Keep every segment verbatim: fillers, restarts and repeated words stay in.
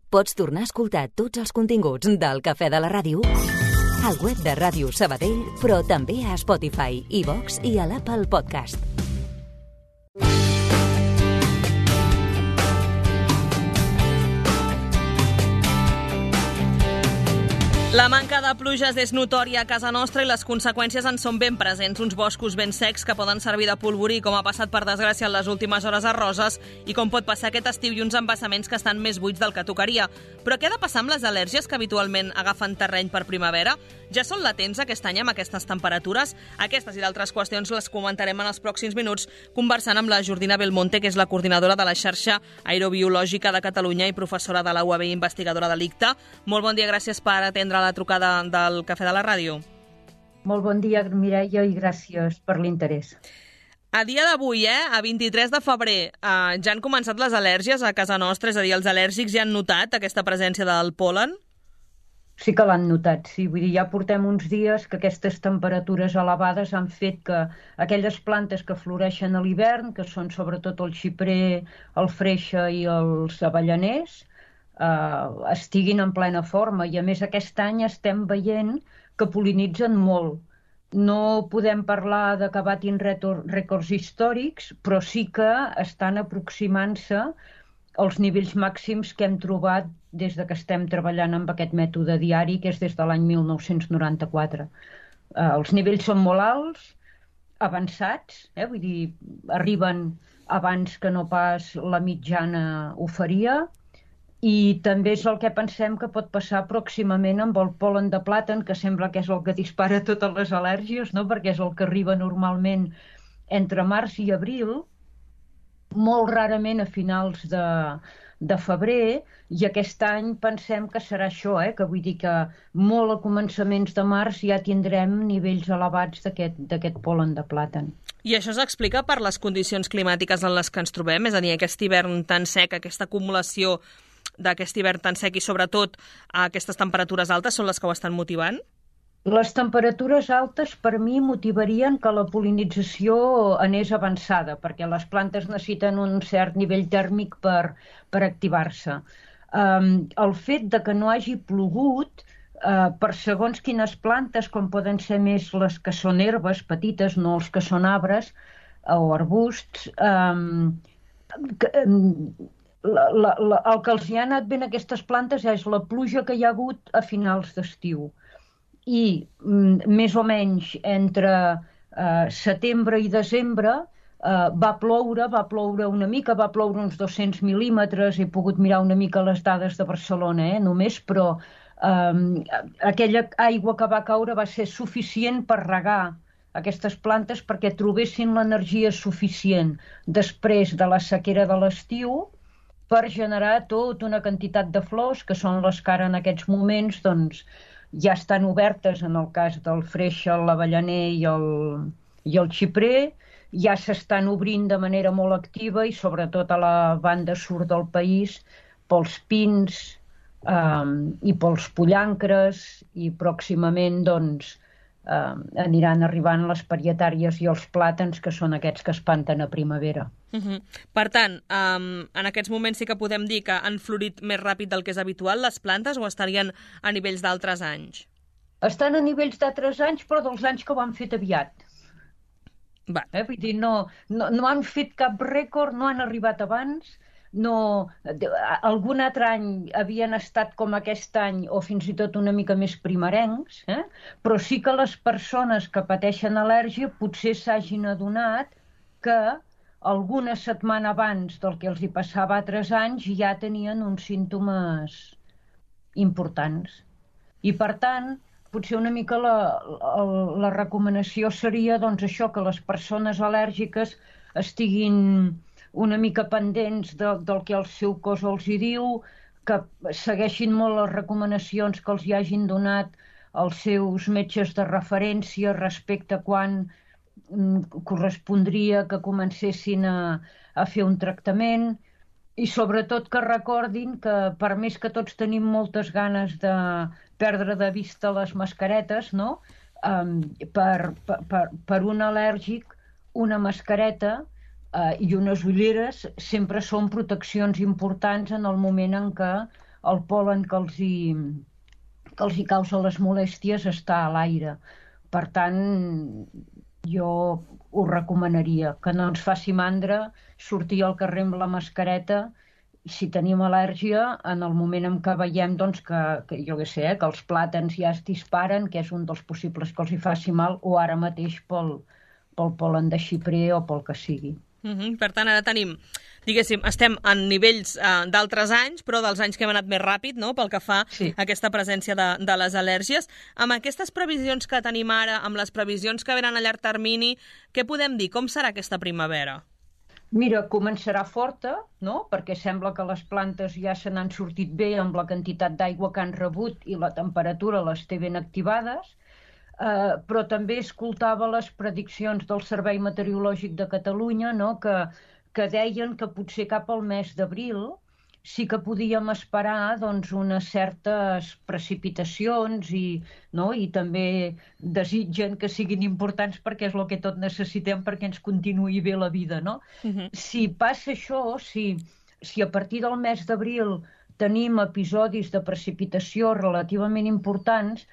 Pots tornar a escoltar tots els continguts del Cafè de la Ràdio al web de Ràdio Sabadell, però també a Spotify, iVox i a l'Apple Podcast. La manca de pluges és notòria a casa nostra i les conseqüències en són ben presents. Uns boscos ben secs que poden servir de polvorí, com ha passat per desgràcia en les últimes hores a Roses, i com pot passar aquest estiu, i uns embassaments que estan més buits del que tocaria. Però què ha de passar amb les al·lèrgies que habitualment agafen terreny per primavera? Ja són latents aquest any amb aquestes temperatures? Aquestes i d'altres qüestions les comentarem en els pròxims minuts conversant amb la Jordina Belmonte, que és la coordinadora de la xarxa aerobiològica de Catalunya i professora de la U A B i investigadora de l'I C T A. Molt bon dia, gràcies per atendre la trucada del Cafè de la Ràdio. Molt bon dia, Mireia, i gràcies per l'interès. A dia d'avui, eh, a vint-i-tres de febrer, eh, ja han començat les al·lèrgies a casa nostra, és a dir, els al·lèrgics ja han notat aquesta presència del pol·len? Sí que l'han notat, sí. Vull dir, ja portem uns dies que aquestes temperatures elevades han fet que aquelles plantes que floreixen a l'hivern, que són sobretot el xiprer, el freixe i els avellaners, Uh, estiguin en plena forma, i a més aquest any estem veient que pol·linitzen molt. No podem parlar de que batin rècords històrics, però sí que estan aproximant-se als nivells màxims que hem trobat des de que estem treballant amb aquest mètode diari, que és des de l'any mil nou-cents noranta-quatre. Uh, els nivells són molt alts, avançats, eh? Vull dir, arriben abans que no pas la mitjana ho faria, i també és el que pensem que pot passar pròximament amb el pol·len de plàtan, que sembla que és el que dispara totes les al·lèrgies, no? Perquè és el que arriba normalment entre març i abril, molt rarament a finals de, de febrer, i aquest any pensem que serà això, eh? Que vull dir que molt a començaments de març ja tindrem nivells elevats d'aquest d'aquest pol·len de plàtan. I això s'explica per les condicions climàtiques en les que ens trobem? És a dir, aquest hivern tan sec, aquesta acumulació d'aquest hivern tan sec i sobretot aquestes temperatures altes són les que ho estan motivant? Les temperatures altes per mi motivarien que la pol·linització anés avançada, perquè les plantes necessiten un cert nivell tèrmic per, per activar-se. Um, el fet de que no hagi plogut uh, per segons quines plantes, com poden ser més les que són herbes petites, no els que són arbres o arbusts, um, que, um, La, la, la, el que els hi ha anat ben a aquestes plantes és la pluja que hi ha hagut a finals d'estiu. I mm, més o menys entre eh, setembre i desembre eh, va ploure, va ploure una mica, va ploure uns dos-cents mil·límetres, he pogut mirar una mica les dades de Barcelona, eh, només, però eh, aquella aigua que va caure va ser suficient per regar aquestes plantes perquè trobessin l'energia suficient després de la sequera de l'estiu per generar tota una quantitat de flors, que són les que ara en aquests moments doncs, ja estan obertes en el cas del freixe, l'avellaner i el, i el xiprer, ja s'estan obrint de manera molt activa i sobretot a la banda sud del país pels pins eh, i pels pollancres, i pròximament doncs, eh, aniran arribant les parietàries i els plàtans, que són aquests que espanten a primavera. Uh-huh. Per tant, um, en aquests moments sí que podem dir que han florit més ràpid del que és habitual les plantes, o estarien a nivells d'altres anys? Estan a nivells d'altres anys, però dels anys que ho han fet aviat. Va. Eh? Vull dir, no, no, no han fet cap rècord, no han arribat abans, no, algun altre any havien estat com aquest any o fins i tot una mica més primerencs, eh? Però sí que les persones que pateixen al·lèrgia potser s'hagin adonat que alguna setmana abans del que els hi passava altres anys ja tenien uns símptomes importants. I per tant, potser una mica la, la, la recomanació seria doncs, això, que les persones al·lèrgiques estiguin una mica pendents de, del que el seu cos els hi diu, que segueixin molt les recomanacions que els hi hagin donat els seus metges de referència respecte a quan mm, correspondria que comencessin a, a fer un tractament, i sobretot que recordin que per més que tots tenim moltes ganes de perdre de vista les mascaretes, no? Um, per, per, per un al·lèrgic, una mascareta Uh, i unes ulleres sempre són proteccions importants en el moment en què el pol·len que els hi, que els hi causa les molèsties està a l'aire. Per tant, jo ho recomanaria, que no ens faci mandra sortir al carrer amb la mascareta. Si tenim al·lèrgia, en el moment en què veiem doncs, que, que, jo què sé, eh, que els plàtans ja es disparen, que és un dels possibles que els hi faci mal, o ara mateix pel, pel pol·len de xiprer o pel que sigui. Uh-huh. Per tant, ara tenim, diguéssim, estem en nivells uh, d'altres anys, però dels anys que hem anat més ràpid, no?, pel que fa sí. a aquesta presència de, de les al·lèrgies. Amb aquestes previsions que tenim ara, amb les previsions que venen a llarg termini, què podem dir? Com serà aquesta primavera? Mira, començarà forta, no?, perquè sembla que les plantes ja se n'han sortit bé amb la quantitat d'aigua que han rebut i la temperatura les té ben activades, eh, però també escoltava les prediccions del Servei Meteorològic de Catalunya, no?, que, que deien que potser cap al mes d'abril sí que podíem esperar doncs, unes certes precipitacions i, no? I també desitgen que siguin importants perquè és el que tot necessitem perquè ens continuï bé la vida, no? Uh-huh. Si passa això, si, si a partir del mes d'abril tenim episodis de precipitació relativament importants,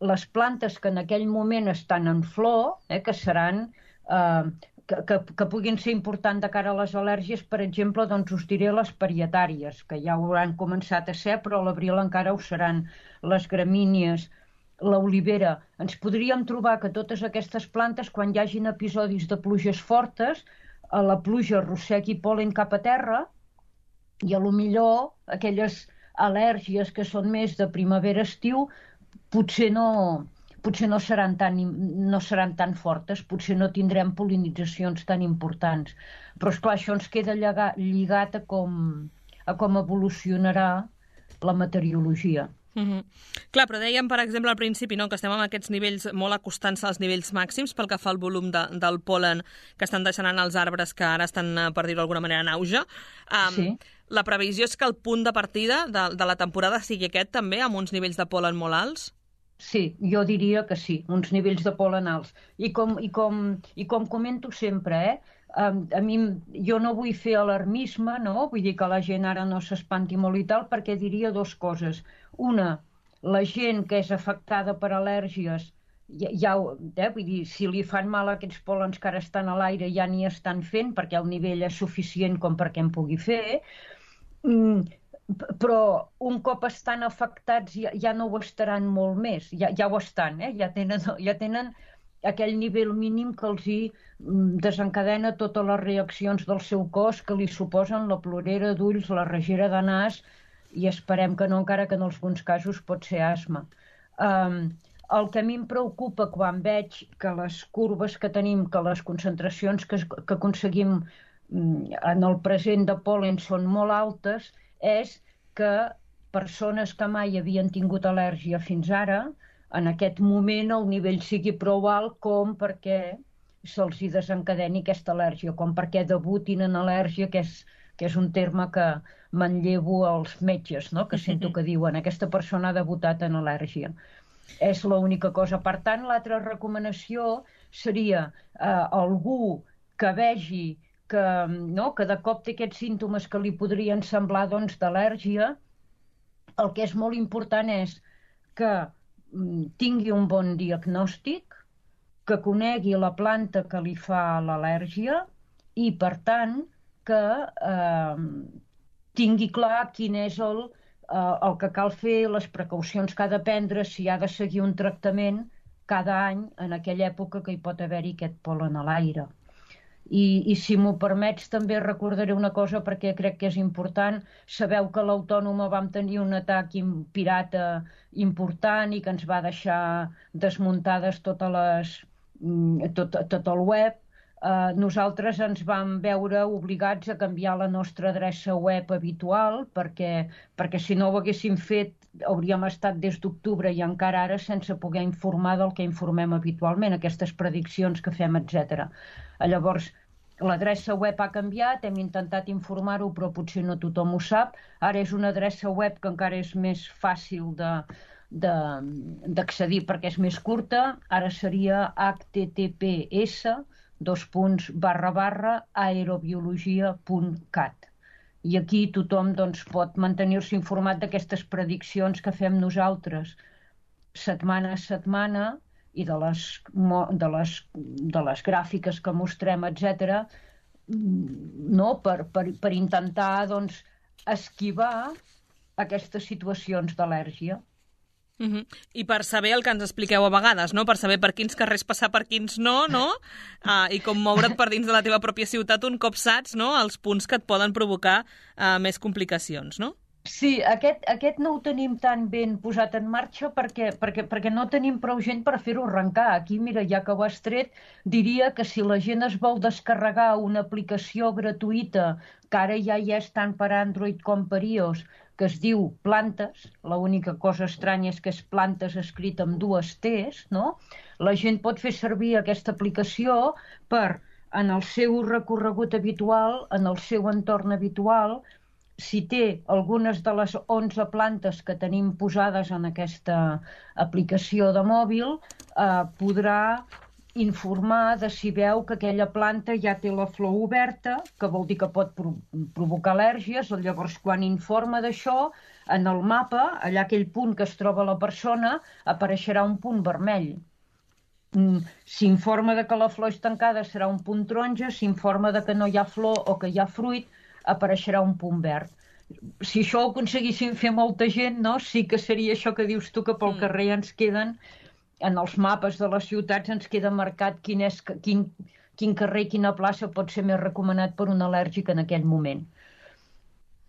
les plantes que en aquell moment estan en flor, eh, que seran... Eh, Que, que, que puguin ser importants de cara a les al·lèrgies, per exemple, doncs us diré les parietàries, que ja ho hauran començat a ser, però a l'abril encara ho seran, les gramínies, l'olivera. Ens podríem trobar que totes aquestes plantes, quan hi hagin episodis de pluges fortes, a la pluja arrossegui pol·len cap a terra i a lo millor aquelles al·lèrgies que són més de primavera-estiu potser no... potser no seran, tan, no seran tan fortes, potser no tindrem pol·linitzacions tan importants. Però, esclar, això ens queda lligat, lligat a, com, a com evolucionarà la meteorologia. Mm-hmm. Clar, però dèiem, per exemple, al principi, no?, que estem amb aquests nivells molt acostant-se als nivells màxims pel que fa al volum de, del pol·len que estan deixant anar els arbres que ara estan, per dir-ho d'alguna manera, en auge. Um, sí. La previsió és que el punt de partida de, de la temporada sigui aquest també, amb uns nivells de pol·len molt alts? Sí, jo diria que sí, uns nivells de pol·len alts. I com, i com, i com comento sempre, eh, a, a mi, jo no vull fer alarmisme, no? Vull dir que la gent ara no s'espanti molt i tal, perquè diria dues coses. Una, la gent que és afectada per al·lèrgies, ja, ja, eh, vull dir, si li fan mal aquests pol·lens que ara estan a l'aire ja n'hi estan fent, perquè el nivell és suficient com perquè en pugui fer, mm, però un cop estan afectats ja, ja no ho estaran molt més, ja, ja ho estan, eh? ja, tenen, ja tenen aquell nivell mínim que els hi desencadena totes les reaccions del seu cos que li suposen la plorera d'ulls, la regera de nas i esperem que no, encara que en alguns casos pot ser asma. Um, el que a mi em preocupa quan veig que les curves que tenim, que les concentracions que, que aconseguim en el present de pol·len són molt altes, és que persones que mai havien tingut al·lèrgia fins ara, en aquest moment el nivell sigui prou alt com perquè se'ls hi desencadeni aquesta al·lèrgia, com perquè debutin en al·lèrgia, que és, que és un terme que manllevo als metges, no? Que sento que diuen aquesta persona ha debutat en al·lèrgia. És l'única cosa. Per tant, l'altra recomanació seria eh, algú que vegi que, no, que de cop té aquests símptomes que li podrien semblar doncs, d'al·lèrgia, el que és molt important és que mm, tingui un bon diagnòstic, que conegui la planta que li fa l'al·lèrgia i, per tant, que eh, tingui clar quin és el, eh, el que cal fer, les precaucions que ha de prendre, si ha de seguir un tractament cada any en aquella època que hi pot haver-hi aquest pol·len a l'aire. I, i si m'ho permets també recordaré una cosa perquè crec que és important. Sabeu que a l'Autònoma vam tenir un atac pirata important i que ens va deixar desmuntades totes les, tot, tot el web. Uh, nosaltres ens vam veure obligats a canviar la nostra adreça web habitual perquè, perquè si no ho haguéssim fet hauríem estat des d'octubre i encara ara sense poder informar del que informem habitualment, aquestes prediccions que fem, etcètera. Llavors, l'adreça web ha canviat, hem intentat informar-ho, però potser no tothom ho sap. Ara és una adreça web que encara és més fàcil de, de, d'accedir perquè és més curta. Ara seria h t t p s dos punts barra barra aerobiologia punt cat. I aquí tothom doncs, pot mantenir-se informat d'aquestes prediccions que fem nosaltres setmana a setmana i de les, de les, de les gràfiques que mostrem, etcètera, no? per, per, per intentar doncs, esquivar aquestes situacions d'al·lèrgia. Uh-huh. I per saber el que ens expliqueu a vegades, no? Per saber per quins carrers passar, per quins no, no? Uh, I com moure't per dins de la teva pròpia ciutat un cop saps, no? Els punts que et poden provocar uh, més complicacions, no? Sí, aquest, aquest no ho tenim tan ben posat en marxa perquè, perquè, perquè no tenim prou gent per fer-ho arrencar. Aquí, mira, ja que ho has tret, diria que si la gent es vol descarregar una aplicació gratuïta, que ara ja hi és tant per Android com per iOS, que es diu Plantes, l'única cosa estranya és que és Plantes escrit amb dues T's, no? La gent pot fer servir aquesta aplicació per, en el seu recorregut habitual, en el seu entorn habitual, si té algunes de les onze plantes que tenim posades en aquesta aplicació de mòbil, eh, podrà informar de si veu que aquella planta ja té la flor oberta, que vol dir que pot pro provocar al·lèrgies, llavors quan informa d'això, en el mapa, allà aquell punt que es troba la persona, apareixerà un punt vermell. Mm, si informa de que la flor és tancada, serà un punt taronja, si informa de que no hi ha flor o que hi ha fruit, apareixerà un punt verd. Si això ho aconseguissin fer molta gent, no? Sí que seria això que dius tu, que pel mm. carrer ens queden, en els mapes de les ciutats ens queda marcat quin, és, quin, quin carrer, quina plaça pot ser més recomanat per un al·lèrgic en aquell moment.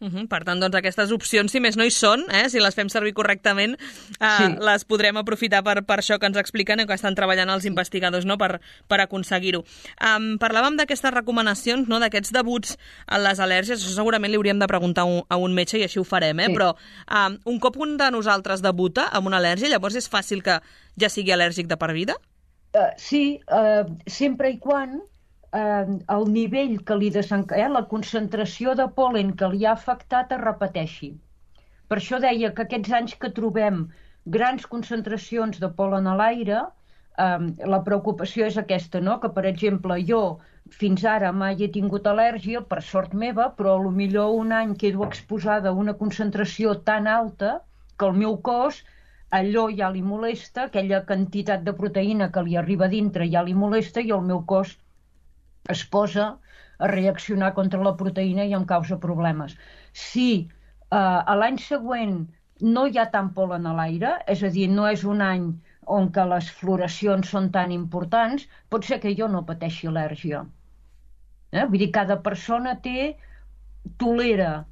Uh-huh. Per tant, doncs, aquestes opcions, si més no hi són, eh? Si les fem servir correctament, eh, sí. les podrem aprofitar per, per això que ens expliquen i que estan treballant els investigadors, no? per, per aconseguir-ho. Um, parlàvem d'aquestes recomanacions, no? D'aquests debuts a les al·lèrgies, això segurament li hauríem de preguntar un, a un metge i així ho farem, eh? Sí. Però um, un cop un de nosaltres debuta amb una al·lèrgia, llavors és fàcil que ja sigui al·lèrgic de per vida? Uh, sí, uh, sempre i quan eh, el nivell que li desenca... eh, la concentració de pol·len que li ha afectat es repeteixi. Per això deia que aquests anys que trobem grans concentracions de pol·len a l'aire, eh, la preocupació és aquesta, no? Que, per exemple, jo fins ara mai he tingut al·lèrgia, per sort meva, però potser un any quedo exposada a una concentració tan alta que el meu cos allò ja li molesta, aquella quantitat de proteïna que li arriba a dintre ja li molesta i el meu cos es posa a reaccionar contra la proteïna i em causa problemes. Si eh, a l'any següent no hi ha tant pol·len a l'aire, és a dir, no és un any on que les floracions són tan importants, pot ser que jo no pateixi al·lèrgia. Eh? Vull dir, cada persona té, tolera,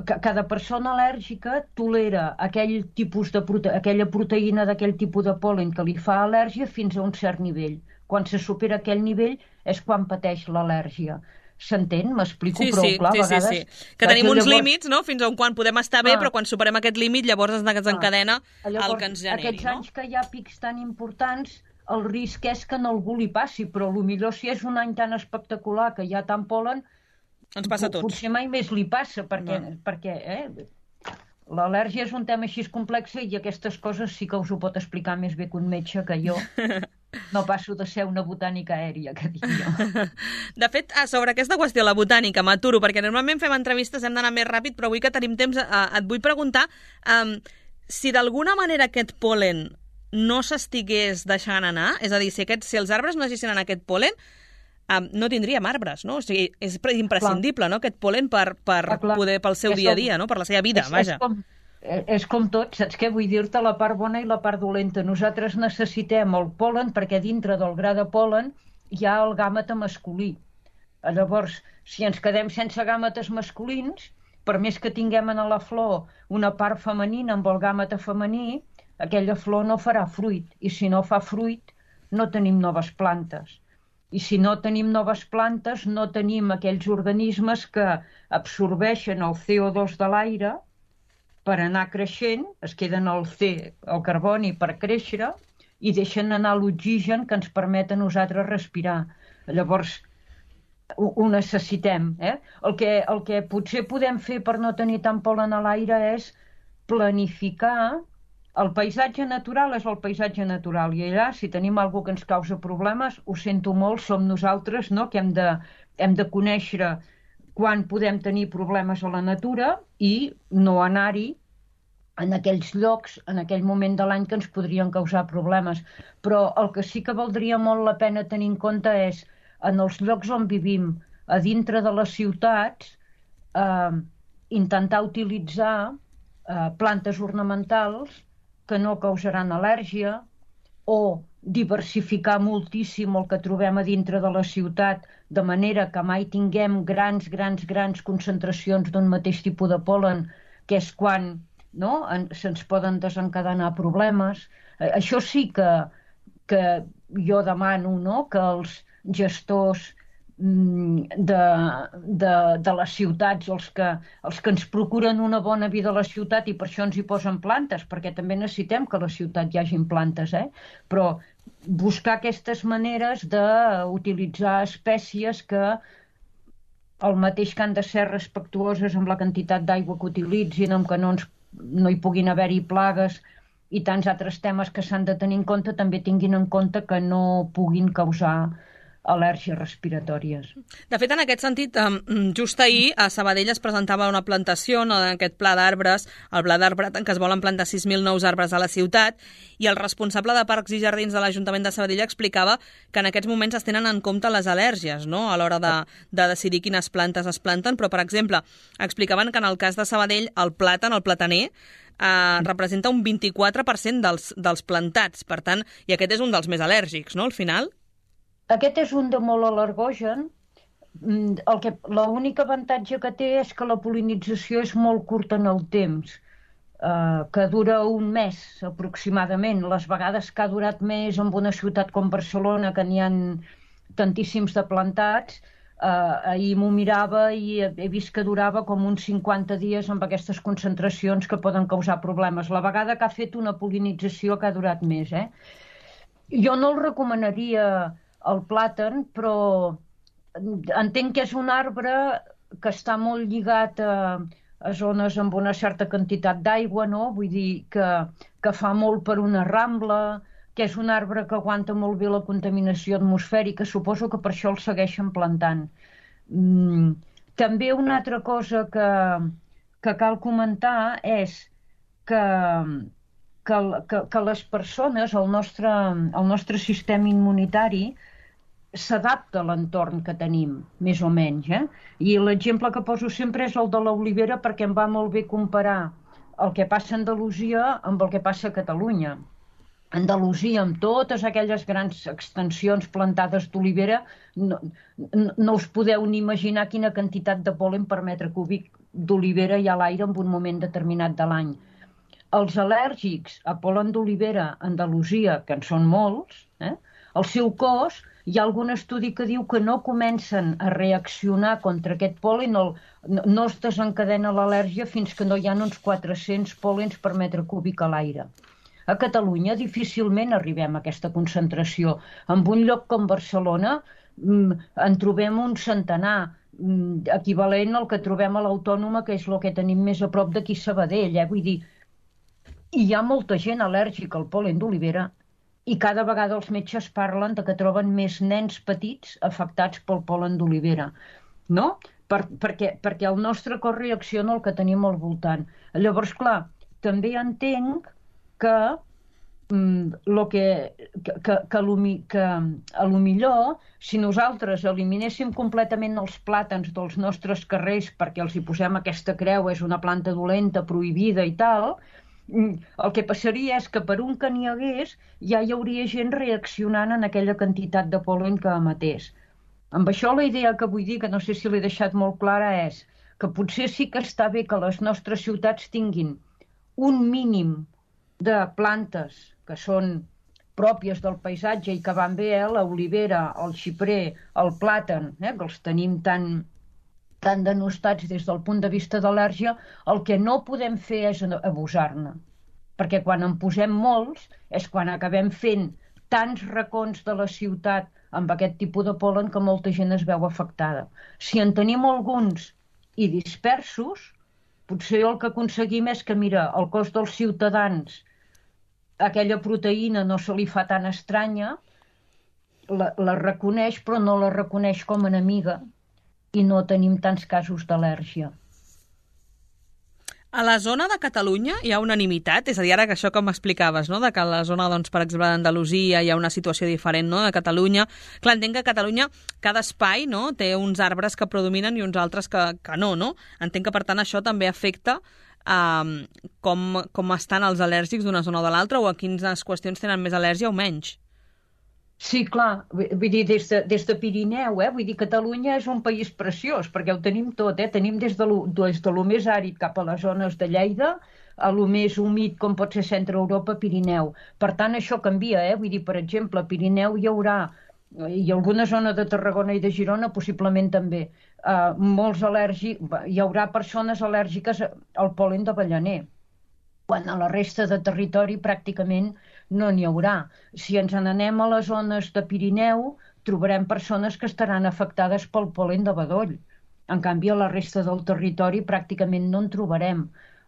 cada persona al·lèrgica tolera aquell tipus de prote aquella proteïna d'aquell tipus de pol·len que li fa al·lèrgia fins a un cert nivell. Quan se supera aquell nivell és quan pateix l'al·lèrgia. S'entén? M'explico sí, prou sí, clar? Sí, a vegades, sí, sí. Que tenim uns llavors... límits, no? Fins a on quan podem estar bé, ah. però quan superem aquest límit llavors ens desencadena ah. llavors, el que ens generi. Aquests no? anys que hi ha pics tan importants, el risc és que no algú li passi, però potser si és un any tan espectacular que hi ha tant pol·len, ens passa a tots. Potser mai més li passa, perquè, no. perquè eh, l'al·lèrgia és un tema així complex i aquestes coses sí que us ho pot explicar més bé que un metge, que jo no passo de ser una botànica aèria, que dic jo. De fet, sobre aquesta qüestió, la botànica, m'aturo, perquè normalment fem entrevistes, hem d'anar més ràpid, però avui que tenim temps eh, et vull preguntar um, si d'alguna manera aquest pol·len no s'estigués deixant anar, és a dir, si, aquest, si els arbres no deixessin anar aquest pol·len, Um, no tindríem arbres, no? O sigui, és imprescindible, clar. No?, aquest pol·len per, per ah, poder, pel seu és dia a dia, no?, per la seva vida, és, vaja. És com, és com tot, saps què? Vull dir-te la part bona i la part dolenta. Nosaltres necessitem el pol·len perquè dintre del gra de pol·len hi ha el gàmeta masculí. Llavors, si ens quedem sense gàmetes masculins, per més que tinguem a la flor una part femenina amb el gàmeta femení, aquella flor no farà fruit, i si no fa fruit, no tenim noves plantes. I si no tenim noves plantes, no tenim aquells organismes que absorbeixen el C O dos de l'aire per anar creixent, es queden el C, el carboni, per créixer, i deixen anar l'oxigen que ens permet a nosaltres respirar. Llavors, ho, ho necessitem. Eh? El, que, el que potser podem fer per no tenir tant pol·len a l'aire és planificar. El paisatge natural és el paisatge natural i allà, si tenim alguna que ens causa problemes, ho sento molt, som nosaltres, no?, que hem de, hem de conèixer quan podem tenir problemes a la natura i no anar-hi en aquells llocs, en aquell moment de l'any que ens podrien causar problemes. Però el que sí que valdria molt la pena tenir en compte és, en els llocs on vivim, a dintre de les ciutats, eh, intentar utilitzar eh, plantes ornamentals que no causaran al·lèrgia, o diversificar moltíssim el que trobem a dintre de la ciutat, de manera que mai tinguem grans, grans, grans concentracions d'un mateix tipus de pol·len, que és quan no? se'ns poden desencadenar problemes. Eh, això sí que, que jo demano, no? Que els gestors de, de, de les ciutats, els que, els que ens procuren una bona vida a la ciutat, i per això ens hi posen plantes, perquè també necessitem que a la ciutat hi hagin plantes, eh? Però buscar aquestes maneres d'utilitzar espècies que el mateix que han de ser respectuoses amb la quantitat d'aigua que utilitzin, amb que no, ens, no hi puguin haver-hi plagues i tants altres temes que s'han de tenir en compte, també tinguin en compte que no puguin causar al·lèrgies respiratòries. De fet, en aquest sentit, just ahir a Sabadell es presentava una plantació, no, d'aquest pla d'arbres, el pla d'arbre en què es volen plantar sis mil nous arbres a la ciutat, i el responsable de Parcs i Jardins de l'Ajuntament de Sabadell explicava que en aquests moments es tenen en compte les al·lèrgies, no?, a l'hora de, de decidir quines plantes es planten, però, per exemple, explicaven que en el cas de Sabadell el plàtan, el plataner, eh, representa un vint-i-quatre per cent dels, dels plantats, per tant, i aquest és un dels més al·lèrgics, no?, al final. Aquest és un de molt al·lergogen. L'únic avantatge que té és que la pol·linització és molt curta en el temps, eh, que dura un mes aproximadament. Les vegades que ha durat més en una ciutat com Barcelona, que n'hi ha tantíssims de plantats, eh, ahir m'ho mirava i he vist que durava com uns cinquanta dies amb aquestes concentracions que poden causar problemes. La vegada que ha fet una pol·linització que ha durat més, eh? Jo no el recomanaria el plàtan, però entenc que és un arbre que està molt lligat a, a zones amb una certa quantitat d'aigua, no? Vull dir que, que fa molt per una rambla, que és un arbre que aguanta molt bé la contaminació atmosfèrica, suposo que per això el segueixen plantant. Mm, també una altra cosa que, que cal comentar és que, que, que, que les persones, el nostre, el nostre sistema immunitari, s'adapta a l'entorn que tenim, més o menys. Eh? I l'exemple que poso sempre és el de l'olivera, perquè em va molt bé comparar el que passa a Andalusia amb el que passa a Catalunya. Andalusia, amb totes aquelles grans extensions plantades d'olivera, no, no, no us podeu ni imaginar quina quantitat de pol·len per metre cúbic d'olivera hi ha a l'aire en un moment determinat de l'any. Els al·lèrgics a pol·len d'olivera a Andalusia, que en són molts, eh? El seu cos, hi ha algun estudi que diu que no comencen a reaccionar contra aquest pol·len, no, no es desencadena l'al·lèrgia fins que no hi ha uns quatre-cents pol·lens per metre cúbic a l'aire. A Catalunya difícilment arribem a aquesta concentració. En un lloc com Barcelona en trobem un centenar, equivalent al que trobem a l'Autònoma, que és el que tenim més a prop d'aquí Sabadell. Eh? Vull dir, hi ha molta gent al·lèrgica al pol·len d'olivera, i cada vegada els metges parlen de que troben més nens petits afectats pel pol·len d'olivera, no? Per, perquè, perquè el nostre cos reacciona al que tenim al voltant. Llavors, clar, també entenc que, mm, lo que, que, que, que, que a lo millor, si nosaltres eliminéssim completament els plàtans dels nostres carrers perquè els hi posem aquesta creu, és una planta dolenta, prohibida i tal, el que passaria és que per un que n'hi hagués ja hi hauria gent reaccionant en aquella quantitat de pol·len que emetés. Amb això la idea que vull dir, que no sé si l'he deixat molt clara, és que potser sí que està bé que les nostres ciutats tinguin un mínim de plantes que són pròpies del paisatge i que van bé, eh? L'olivera, el xiprer, el plàtan, eh? Que els tenim tan... tan denostats des del punt de vista d'al·lèrgia. El que no podem fer és abusar-ne, perquè quan en posem molts és quan acabem fent tants racons de la ciutat amb aquest tipus de pol·len que molta gent es veu afectada. Si en tenim alguns i dispersos, potser el que aconseguim és que, mira, el cos dels ciutadans, aquella proteïna no se li fa tan estranya, la, la reconeix, però no la reconeix com a enemiga, i no tenim tants casos d'al·lèrgia. A la zona de Catalunya hi ha unanimitat? És a dir, ara que això que m'explicaves, no? De que a la zona, doncs, per exemple, d'Andalusia hi ha una situació diferent, no?, de Catalunya. Clar, entenc que a Catalunya cada espai, no?, té uns arbres que predominen i uns altres que, que no, no? Entenc que, per tant, això també afecta eh, com, com estan els al·lèrgics d'una zona o de l'altra, o a quines qüestions tenen més al·lèrgia o menys. Sí, clar, vull dir, des de, des de Pirineu, eh? Vull dir, Catalunya és un país preciós, perquè ho tenim tot, eh? Tenim des de lo, des de lo més àrid cap a les zones de Lleida, a lo més humit com pot ser Centre Europa, Pirineu. Per tant, això canvia, eh? Vull dir, per exemple, a Pirineu hi haurà, i alguna zona de Tarragona i de Girona possiblement també, eh, molts al·lèrgics, hi haurà persones al·lèrgiques al pol·len d'avellaner, quan a la resta de territori pràcticament no n'hi haurà. Si ens n'anem a les zones de Pirineu, trobarem persones que estaran afectades pel pol·len de bedoll. En canvi, a la resta del territori pràcticament no en trobarem.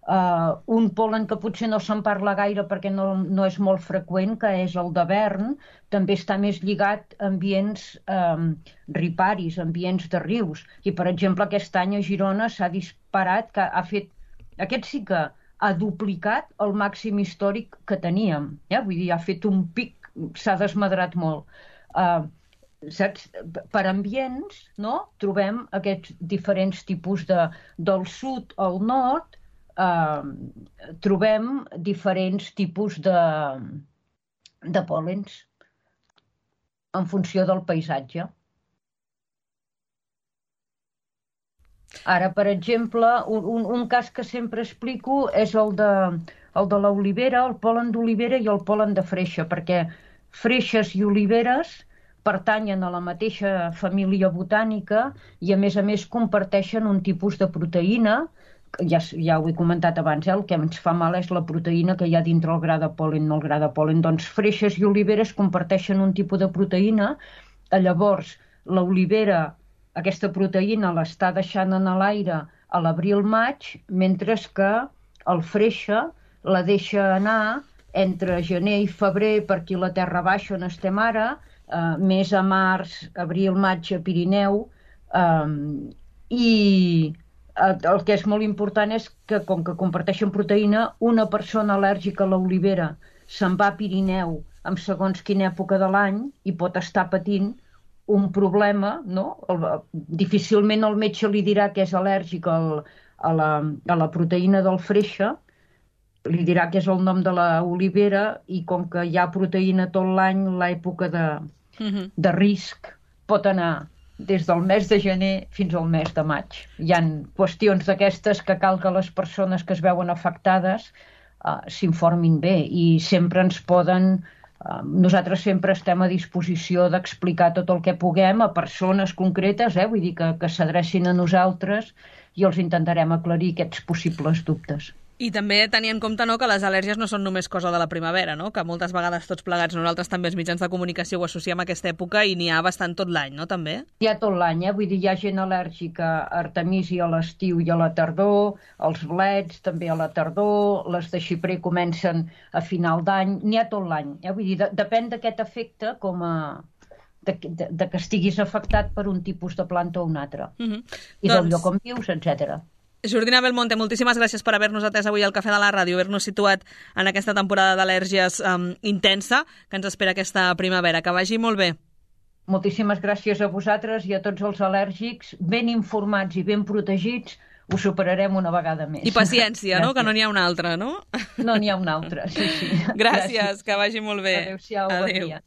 Uh, un pol·len que potser no se'n parla gaire perquè no, no és molt freqüent, que és el de Bern, també està més lligat a ambients um, riparis, ambients de rius. I, per exemple, aquest any a Girona s'ha disparat, que ha fet... Aquest sí que ha duplicat el màxim històric que teníem. Eh? Vull dir, ha fet un pic, s'ha desmadrat molt. Uh, saps? Per ambients, no?, trobem aquests diferents tipus de... Del sud al nord uh, trobem diferents tipus de, de pòl·lens en funció del paisatge. Ara, per exemple, un, un cas que sempre explico és el de, el de l'olivera, el pol·len d'olivera i el pol·len de freixa, perquè freixes i oliveres pertanyen a la mateixa família botànica i, a més a més, comparteixen un tipus de proteïna, ja, ja ho he comentat abans, eh? El que ens fa mal és la proteïna que hi ha dintre el gra de pol·len, no el gra de pol·len. Doncs freixes i oliveres comparteixen un tipus de proteïna, llavors l'olivera, aquesta proteïna l'està deixant en l'aire a l'abril-maig, mentre que el freixa la deixa anar entre gener i febrer per aquí la Terra Baixa on estem ara, eh, més a març, abril, maig a Pirineu, eh, i el que és molt important és que, com que comparteixen proteïna, una persona al·lèrgica a l'olivera se'n va a Pirineu en segons quina època de l'any i pot estar patint un problema, no? El, difícilment el metge li dirà que és al·lèrgic al, a, la, a la proteïna del freixa, li dirà que és el nom de l'olivera i com que hi ha proteïna tot l'any, l'època de, uh-huh. de risc pot anar des del mes de gener fins al mes de maig. Hi ha qüestions d'aquestes que cal que les persones que es veuen afectades uh, s'informin bé i sempre ens poden... Nosaltres sempre estem a disposició d'explicar tot el que puguem a persones concretes, eh? Vull dir que, que s'adrecin a nosaltres i els intentarem aclarir aquests possibles dubtes. I també tenir en compte, no, que les al·lèrgies no són només cosa de la primavera, no? Que moltes vegades tots plegats nosaltres també els mitjans de comunicació ho associem a aquesta època i n'hi ha bastant tot l'any, no, també? Hi ha tot l'any, eh? Vull dir, hi ha gent al·lèrgica a artemisi a l'estiu i a la tardor, els blets també a la tardor, les de xiprer comencen a final d'any, n'hi ha tot l'any, eh? Vull dir, de, depèn d'aquest efecte com a... De, de, de que estiguis afectat per un tipus de planta o un altre. Uh-huh. I doncs... del lloc on vius, etcètera. Jordina Belmonte, moltíssimes gràcies per haver-nos atès avui al Cafè de la Ràdio, haver-nos situat en aquesta temporada d'al·lèrgies um, intensa que ens espera aquesta primavera. Que vagi molt bé. Moltíssimes gràcies a vosaltres i a tots els al·lèrgics, ben informats i ben protegits, ho superarem una vegada més. I paciència, no? Que no n'hi ha una altra, no? No n'hi ha una altra, sí, sí. Gràcies, gràcies. Que vagi molt bé. Adéu-siau, bon dia.